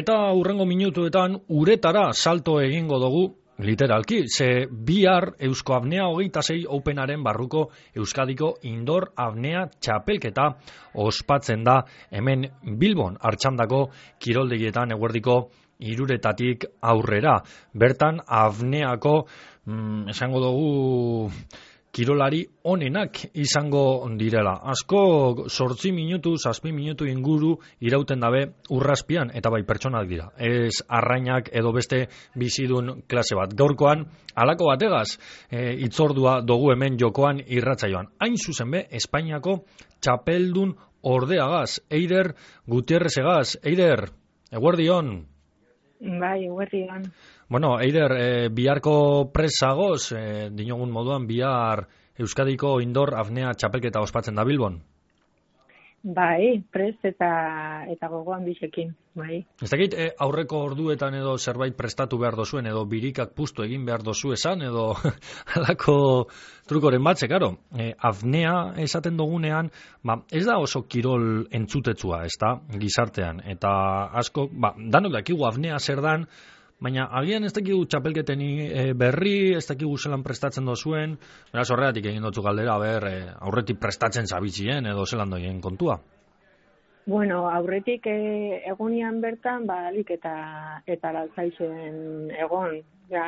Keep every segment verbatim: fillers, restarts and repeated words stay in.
Eta hurrengo minutuetan uretara salto egingo dugu, literalki, ze bihar Eusko Apnea hogeita sei Openaren barruko Euskadiko Indoor Apnea txapelketa ospatzen da hemen Bilbon, Artxandako kiroldegietan eguerdiko hiruretatik aurrera. Bertan apneako, mm, esango dugu, kirolari onenak izango direla. Asko zortzi minutu, zazpi minutu inguru irauten dabe urrazpian, eta bai pertsonak dira. Ez arrainak edo beste bizidun klase bat. Gaurkoan, halako bategaz, e, itzordua dugu hemen jokoan irratsaioan. Hain zuzen be, Espainiako txapeldun ordeagaz, Eider Gutierrezegaz. Eider, eguerdion. Bai, eguerdion. Bueno, Eider, e, biharko presagoz, e, dinogun moduan, bihar Euskadiko Indoor Apnea txapelketa ospatzen da Bilbon? Bai, pres eta eta gogoan bisekin, bai. Ez dakit, e, aurreko orduetan edo zerbait prestatu behar dozuen, edo birikak puztu egin behar dozu esan, edo halako trukoren batze, karo. E, apnea esaten dugunean, ba, ez da oso kirol entzutetzua, ez da, gizartean. Eta asko, ba, danok dakigu apnea zer dan, baina agian ez dakigu txapelketen e, berri, ez dakigu zelan prestatzen dozuen, beraz horregatik egin dutzu galdera, ber, e, aurretik prestatzen zabitzien edo zelan doien kontua. Bueno, aurretik e, egonian bertan, ba, alik eta, eta laltzaizen egon, ja,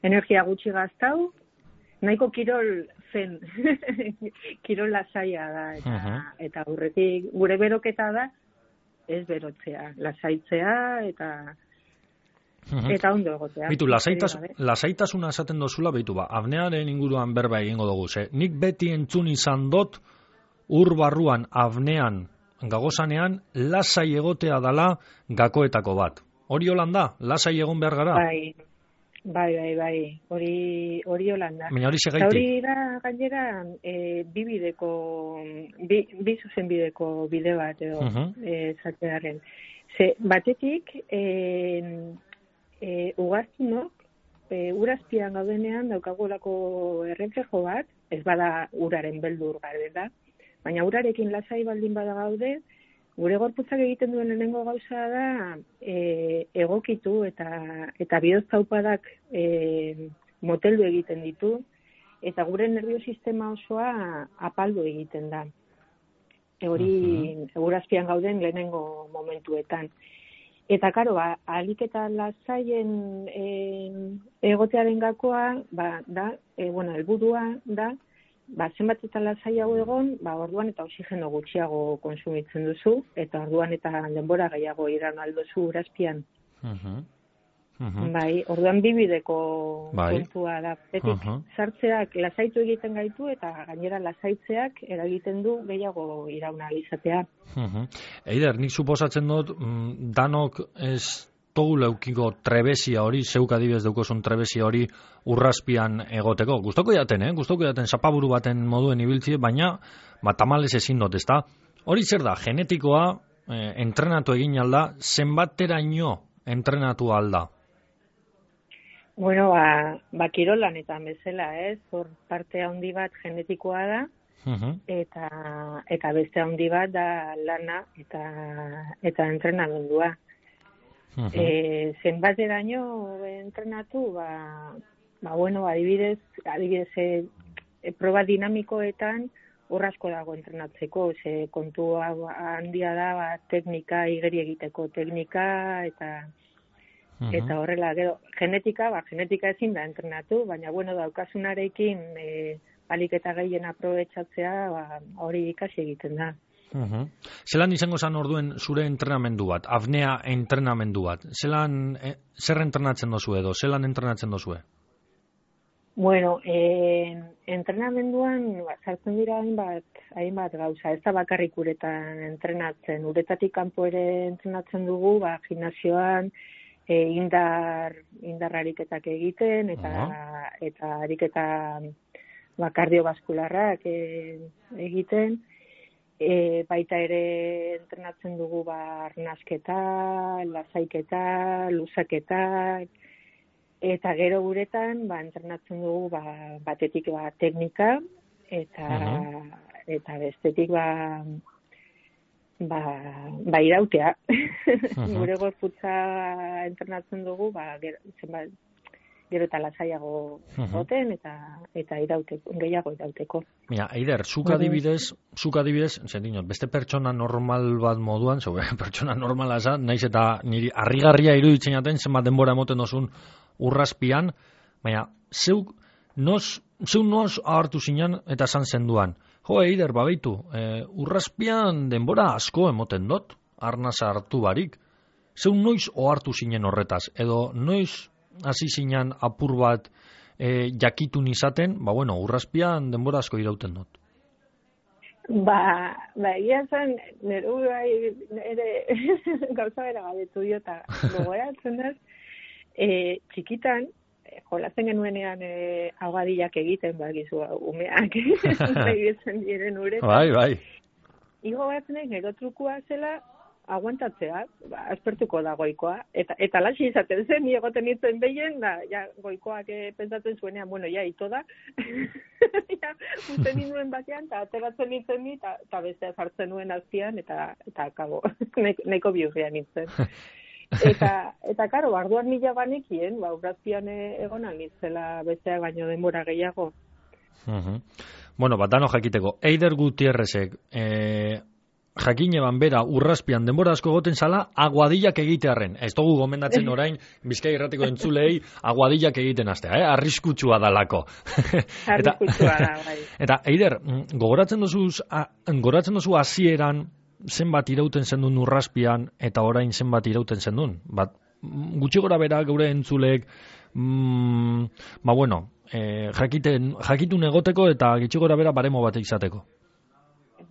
energia gutxi gaztau, nahiko kirol zen, kirol lasaia da, eta, uh-huh. eta aurretik gure beroketa da, ez berotzea, lasaitzea, eta eta ondo egotea. Bitu, lasaitas, lasaitasuna esaten dozula, bitu, ba, apnearen inguruan berba egingo dugu, ze, nik beti entzun izan dot, ur barruan apnean gagozanean, lasai egotea dala gakoetako bat. Hori holanda, lasai egon behar gara? Bai, bai, bai, bai, hori, hori holanda. Baina hori segaitik? Hori da, gainera, e, bi bideko, bi, bi zuzen bideko bide bat, edo, uh-huh. e, zatearen. Ze, batetik, e, E, ugaztunok, e, urazpian gaudenean daukagolako erreflejo bat, ez bada uraren beldur gabe da, baina urarekin lasai baldin bada gaude, gure gorputzak egiten duen lehenengo gauza da e, egokitu eta eta bihotz-taupadak e, moteldu egiten ditu, eta gure nerviosistema osoa apaldu egiten da. E, hori uh-huh. urazpian gauden lehenengo momentuetan. Eta, karo, ba, alik eta lasaien e, egotearen gakoa, ba, da, e, bueno, helburua da, ba, zenbat eta lasai hau egon, ba, orduan eta oxigeno gutxiago konsumitzen duzu, eta orduan eta denbora gehiago iran aldozu urazpian. Uh-huh. Uh-huh. Bai, orduan bibideko bai. Kontua da. Betik, uh-huh. sartzeak lasaitu egiten gaitu, eta gainera lasaitzeak eragiten du gehiago irauna izatea. Uh-huh. Eider, nik suposatzen dut, mm, danok ez togu leukiko trebesia hori, zeuk adibidez daukozun trebesia hori urrazpian egoteko. Gustoko jaten, eh? Gustoko jaten zapaburu baten moduen ibiltzie, baina ba, tamalez ezin dut, ezta? Hori zer da, genetikoa, eh, entrenatu egin alda, zenbateraino entrenatu alda? Bueno, ba, ba kirolanetan bezala, ez? Hor parte handi bat genetikoa da, uh-huh. eta eta beste handi bat da lana eta eta entrenamendua. Uh-huh. E, zenbateraino entrenatu, ba, ba bueno, adibidez, adibidez e, e, proba dinamikoetan hor asko dago entrenatzeko, ze kontu handia da, ba, teknika, igeri egiteko teknika, eta Uh-huh. eta horrela, gero, genetika, ba, genetika ezin da entrenatu, baina, bueno, daukasunarekin e, alik eta gehien aprobetxatzea, ba, hori ikasi egiten da. Uh-huh. Zelan izango zan orduen zure entrenamendu bat, apnea entrenamendu bat? Zelan, e, zer entrenatzen dozu edo, zelan entrenatzen dozue? Bueno, e, entrenamenduan, ba, sartzen dira hainbat, hainbat gauza, ez da bakarrik uretan entrenatzen, uretatik kanpo ere entrenatzen dugu, ba, gimnasioan, E, indar indar ariketak egiten eta uh-huh. eta ariketa ba, kardiobaskularrak e, egiten e, baita ere entrenatzen dugu ba arnasketa, lasaiketa, luzaketa eta gero guretan ba entrenatzen dugu ba batetik ba teknika eta uh-huh. eta bestetik ba ba, ba irautea. Uh-huh. Gure gorputza entrenatzen dugu, ba, gero, zenbat, gero eta lasaiago goten, uh-huh. eta, eta irauteko, gehiago irauteko. Mira, Eider, zuk adibidez, zuk adibidez, zentinot, beste pertsona normal bat moduan, zo, pertsona normala esan, naiz eta niri harrigarria iruditzen jaten, zenbat denbora emoten dozun urrazpian, baina, zeuk, nos, zeu nos ahartu zinan eta esan zenduan. Jo, Eider, babeitu, e, urrazpian denbora asko emoten dut, arnasa hartu barik. Zeu noiz ohartu zinen horretaz, edo noiz hasi zinen apur bat e, jakitun izaten, ba bueno, urrazpian denbora asko irauten dut. Ba, ba, ia zen, nire bai, nire gauza bera gabetu diota, gogoratzen dut, e, txikitan, jolazen genuenean e, ahogadillak egiten, bakizu, umeak, begitzen diren uretan. Bai, bai. Igo batzen gero trukua zela, aguantatzea, ba, aspertuko da goikoa, eta, eta laxi izaten zen, ni egoten nintzen behien, da, ja, goikoak e, pentsatzen zuenean, bueno, ja, ito da, ja, usten ninduen batean, eta ateratzen nintzen ni, eta bestea sartzen nuen azpian, eta, eta kabo, neko biurria nintzen. Eta, eta karo, barduan mila banekien, ba, urrazpian egon alitzela besteak baino denbora gehiago. Uh-huh. Bueno, bat dano jakiteko, Eider Gutierrezek, e, jakine ban bera urrazpian denbora asko goten zala, aguadillak egitearren. Ez dugu gomendatzen orain, Bizkai Irratiko entzulei, aguadillak egiten astea, eh? Arriskutsua dalako. Arriskutsua da, bai. Eta, Eider, gogoratzen duzu, gogoratzen duzu hasieran, zenbat irauten zendun urrazpian eta orain zenbat irauten zendun. Bat, gutxi gora bera geure entzulek, mm, ba bueno, e, jakiten, jakitun egoteko eta gutxi gora bera baremo bat izateko.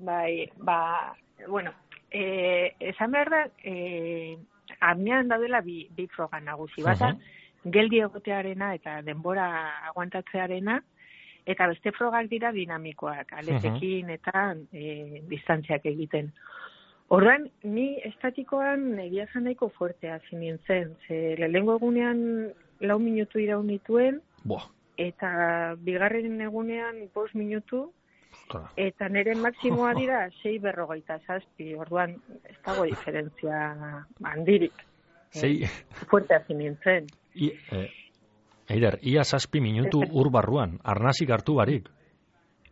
Bai, ba, bueno, e, esan behar da, e, apnean daudela bi, bi froga nagusi. Bata, uh-huh. geldi egotearena eta denbora aguantatzearena, eta beste frogak dira dinamikoak, aletekin uh-huh. eta e, distantziak egiten. Orduan, ni estatikoan egia zan nahiko fuertea zinintzen. Ze lehengo egunean lau minutu iraun nituen, Boa. eta bigarren egunean bost minutu, eta nire maksimoa dira sei berrogeita zazpi. Orduan, ez dago diferentzia handirik. Sei. E, fuertea zinintzen. I, eh. Eider, ia zazpi minutu ur barruan, arnazik hartu barik.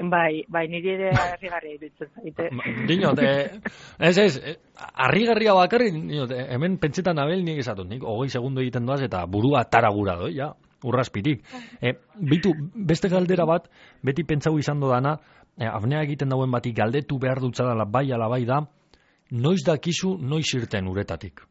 Bai, bai, niri ere harrigarria iruditzen zaite. Dinot, eh, ez ez, harrigarria bakarri, dinot, hemen pentsetan abel nik esatut, nik hogei segundo egiten doaz eta burua taragura doi, ja, urrazpitik. Eh, bitu, beste galdera bat, beti pentsau izan dodana, eh, apnea egiten dauen batik galdetu behar dutzadala bai ala bai da, noiz dakizu, noiz irten uretatik.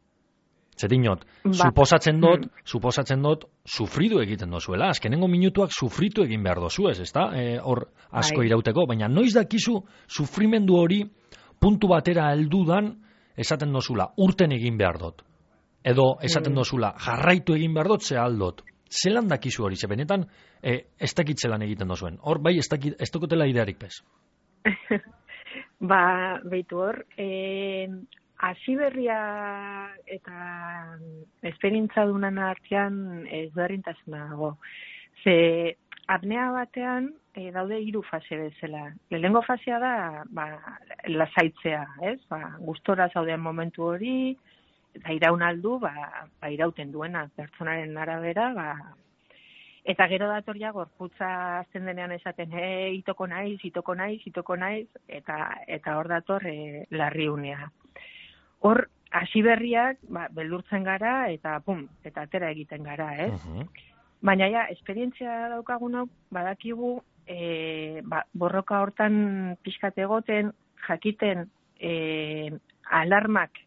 Zedinot, ba. suposatzen dut, mm. suposatzen dut, sufridu egiten dozuela. Azkenengo minutuak sufritu egin behar dozu ez, ezta? E, hor asko Ai. irauteko, baina noiz dakizu sufrimendu hori puntu batera heldudan esaten dozula, urten egin behar dut. Edo esaten mm. dozula, jarraitu egin behar dut, ze aldot. Zelan dakizu hori, ze benetan, e, ez dakitzelan egiten dozuen. Hor, bai, ez, dakit, ez dokotela idearik bez. Ba, behitu hor, eh... hasi berria eta esperientza dunan artean ezberdintasuna dago. Ze apnea batean e, daude hiru fase bezala. Lehenengo fasea da ba, lasaitzea, ez? Ba, gustora zauden momentu hori, eta iraun aldu, ba, ba irauten duena, pertsonaren arabera, ba, eta gero dator ja gorputza azten denean esaten, e, itoko naiz, itoko naiz, itoko naiz, eta eta hor dator e, larriunea. Hor, hasi berriak, ba, beldurtzen gara, eta pum, eta atera egiten gara, ez? Uh-huh. Baina ja, esperientzia daukagunok, badakigu, e, ba, borroka hortan pixkat egoten, jakiten e, alarmak,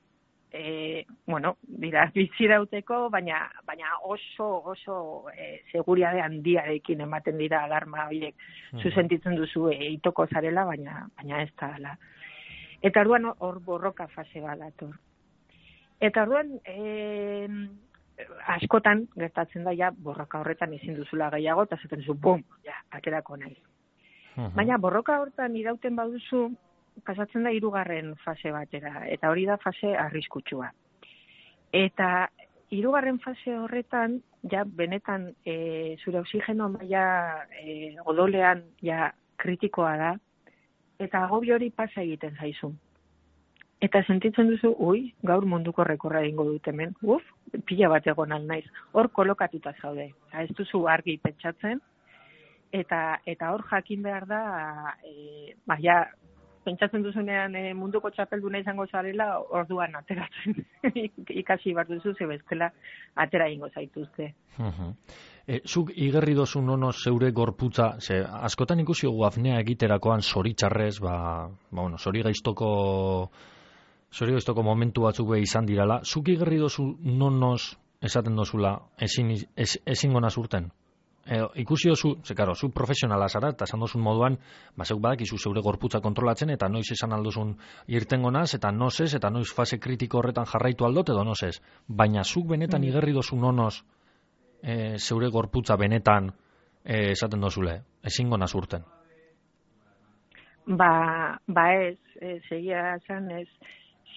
e, bueno, dira, bizirauteko, baina, baina oso, oso e, seguriade handiarekin ematen dira alarma horiek. Uh-huh. Zuzentitzen duzu e, itoko zarela, baina, baina ez da dela. Eta orduan hor borroka fase bat dator. Eta orduan e, askotan gertatzen da ja borroka horretan ezin duzula gehiago eta zaten zu bum, ja, aterako naiz. Uh-huh. Baina borroka horretan irauten baduzu pasatzen da hirugarren fase batera eta hori da fase arriskutsua. Eta hirugarren fase horretan ja benetan e, zure oxigeno maila e, odolean ja kritikoa da. Eta agobio hori pasa egiten zaizu. eta sentitzen duzu, ui, gaur munduko rekorra egingo dut hemen, uf, pila bat egon naiz. Hor kolokatuta zaude, ez duzu argi pentsatzen, eta eta hor jakin behar da, e, ba, ja, pentsatzen duzunean e, munduko txapelduna izango zarela, orduan ateratzen ikasi behar duzu, ze bestela atera egingo zaituzte. Uh-huh. E, zuk igerri dozu nono zeure gorputza, ze askotan ikusi gu apnea egiterakoan zoritxarrez, ba, ba bueno, zori gaiztoko zori gaiztoko momentu batzuk be izan dirala, zuk igerri dozu nonoz esaten dozula ezin, ez, ezin gonaz urten? E, ikusi dozu, ze karo, zu profesionala zara, eta esan dozun moduan, ba, zeuk badakizu zeure gorputza kontrolatzen, eta noiz esan aldozun irtengo naz, eta noz ez, eta noiz fase kritiko horretan jarraitu aldot, edo noz ez. Baina zuk benetan igerri dozu nonoz e, zeure gorputza benetan e, esaten dozule, ezin gonaz urten? Ba, ba ez, ez egia esan ez,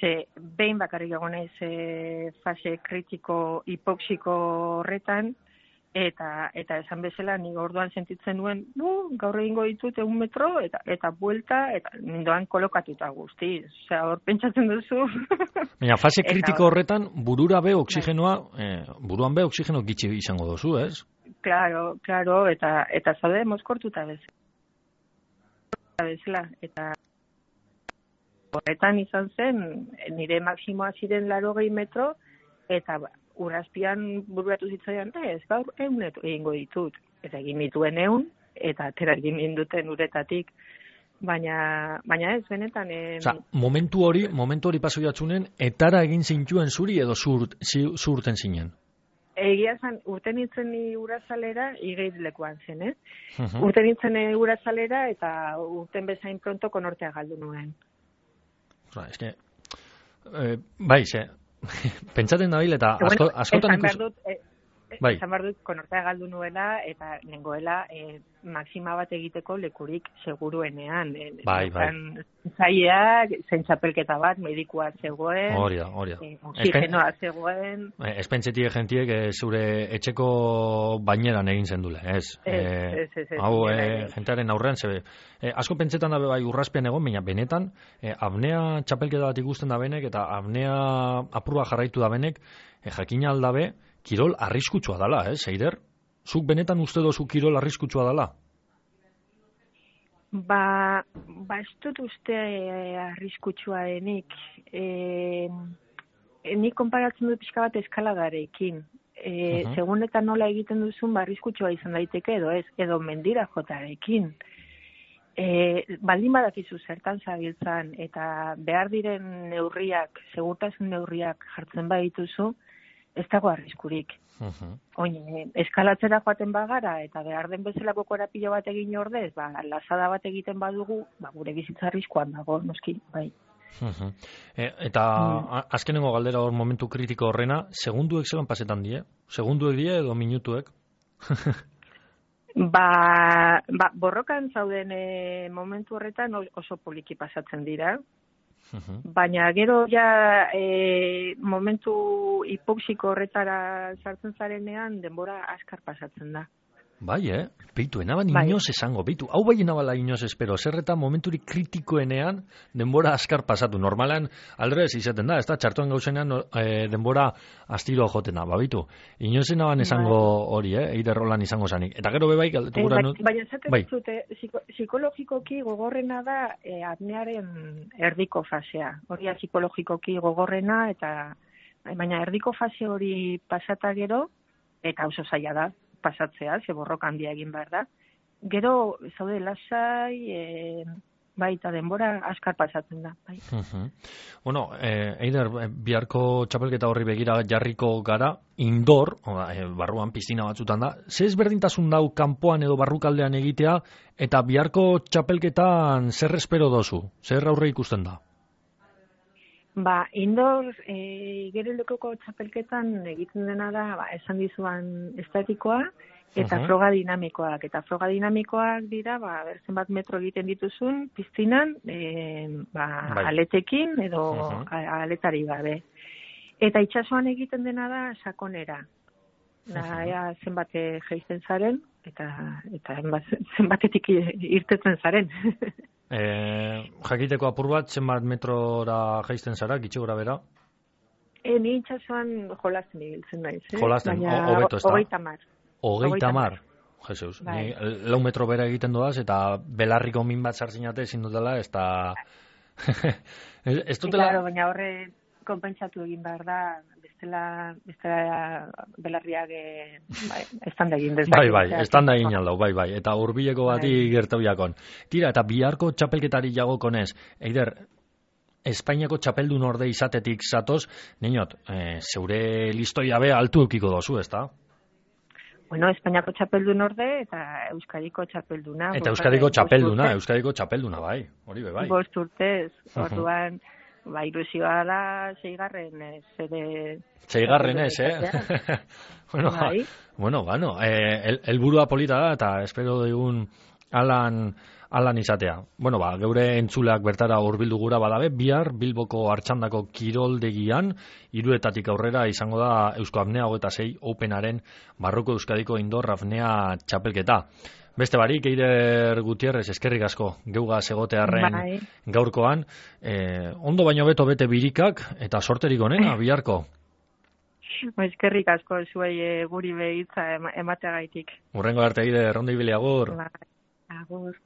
ze behin bakarrik egonez e, fase kritiko hipoxiko horretan, eta eta esan bezala ni orduan sentitzen nuen, nu, gaur egingo ditut egun metro, eta eta buelta, eta nindoan kolokatuta guzti. Osea, hor pentsatzen duzu. Baina fase kritiko horretan, burura be oksigenoa, eh, buruan be oksigeno gitxi izango dozu, ez? Claro, claro, eta eta zaude mozkortuta bezala. bezala, eta horretan izan zen, nire maksimoa ziren larogei metro, eta urazpian buruatu zitzaian, ez, gaur egun egingo ditut. Eta egin dituen egun, eta atera egin ninduten uretatik. Baina, baina ez, benetan... Eh, Osa, momentu hori, momentu hori paso jatzunen, etara egin zintuen zuri edo zurt, zurten zinen? Egia zan, urten nintzen ni urazalera, igeit lekuan zen, eh? Uh-huh. Urten nintzen urazalera, eta urten bezain pronto konortea galdu nuen. Osa, eske, eh, bai, ze, pentsaten da bil, eta asko, askotan ikus... Dut, eh, bai. Esan behar dut, konortea galdu nuela, eta nengoela eh, maksima bat egiteko lekurik seguruenean. Eh, bai, bai. Zaiak, zein txapelketa bat, medikua zegoen, hori da, hori da. Eh, oxigenoa zegoen. Ez pentsetie gentiek eh, zure etxeko baineran egin zen dule, ez? Ez, eh, ez, ez, ez. Hau, eh, jentearen aurrean, zebe, eh, asko pentsetan da bai urrazpean egon, baina benetan, eh, apnea txapelketa bat ikusten da benek, eta apnea apurua jarraitu da benek, eh, jakina aldabe, kirol arriskutsua dala, eh, Eider? Zuk benetan uste dozu kirol arriskutsua dala? Ba, ba ez dut uste eh, arriskutsua denik. Eh, nik konparatzen dut pixka bat eskaladarekin. Eh, uh-huh. Segun eta nola egiten duzun, ba, arriskutsua izan daiteke edo ez, edo mendira jotarekin. Eh, baldin badakizu zertan zabiltzan, eta behar diren neurriak, segurtasun neurriak jartzen badituzu, ez dago arriskurik. Uh-huh. Oine, eskalatzera joaten bagara, eta behar den bezalako korapilo bat egin ordez, ba, lazada bat egiten badugu, ba, gure bizitza arriskoan dago, noski, bai. Uh-huh. E, eta mm. azkenengo galdera hor momentu kritiko horrena, segunduek zelan pasetan die? Segunduek die edo minutuek? ba, ba, borrokan zauden e, momentu horretan oso poliki pasatzen dira. Uh-huh. Baina gero ja e, momentu hipoxiko horretara sartzen zarenean denbora askar pasatzen da. Bai, eh? Beitu, enaban bai. Inoz esango, beitu, hau bai enabala inoz espero, zerreta momenturi kritikoenean denbora askar pasatu. Normalan, aldrez izaten da, ez da, txartuan gauzenean e, denbora astiro jotena, ba, beitu, inoz enaban esango hori, eh? Eider rolan izango zanik. Eta gero bebai, galdetu gura... E, baina zaten bai. Zute, psikologikoki gogorrena da e, apnearen erdiko fasea. Hori psikologikoki gogorrena, eta baina erdiko fase hori pasata gero, eta oso zaila da, pasatzea, ze borroka handia egin behar da. Gero, zaude lasai, e, baita denbora askar pasatzen da. Bai. Uh-huh. Bueno, eh, Eider, biharko txapelketa horri begira jarriko gara, indor, oda, eh, barruan piztina batzutan da, ze ezberdintasun dau kanpoan edo barrukaldean egitea, eta biharko txapelketan zer espero dozu? Zer aurre ikusten da? Ba, indoor, e, gero lekoko txapelketan egiten dena da, ba, esan dizuan estatikoa, eta uh-huh. froga dinamikoak. Eta froga dinamikoak dira, ba, berzen bat metro egiten dituzun, piztinan, e, ba, bai. Aletekin, edo uh-huh. aletari gabe. Eta itsasoan egiten dena da, sakonera. Da, uh-huh. ea, zenbate geizten zaren, eta, eta zenbatetik irtetzen zaren. E, jakiteko apur bat, zenbat metrora jaisten zara, gitxi gora bera? E, ni itxasuan jolasten ibiltzen naiz, eh? Jolasten, baina hobeto ez da? Hogeita mar. Hogeita mar? Jesus, bai. Ni lau metro bera egiten doaz, eta belarriko min bat sartzinate ezin dutela, ez da... ez dutela... Claro, baina horre konpentsatu egin behar da, bestela, bestela belarriak e, bai, estanda egin dezak. Bai, bai, estanda egin aldau, bai, bai, eta hurbileko bati bai. gertau jakon. Tira, eta biharko txapelketari jagokonez, Eider, Espainiako txapeldun orde izatetik zatoz, niñot, e, zeure listoia be altu eukiko dozu, ez da? Bueno, Espainiako txapeldun orde eta Euskadiko txapelduna. Eta Euskadiko txapelduna, Euskadiko txapelduna, bai, hori be, bai. Bost urtez, orduan, ba, ilusioa da seigarren ez, ere... Seigarren ez, eh? bueno, bai. bueno, bueno, eh, el, elburua polita da, eta espero digun alan, alan izatea. Bueno, ba, geure entzuleak bertara hurbildu gura badabe, bihar Bilboko Artxandako kiroldegian, hiruetatik aurrera izango da Eusko Apnea hogeita sei Openaren Barruko Euskadiko Indoor Apnea txapelketa. Beste barik, Eider Gutierrez, eskerrik asko, geuga segotearren bai. gaurkoan. Eh, ondo baino beto bete birikak, eta sorterik onena, biharko. Eskerrik asko zuei e, guri behitza emateagaitik. Urrengo arte, Eider, ondo ibili agur. Ba, agur.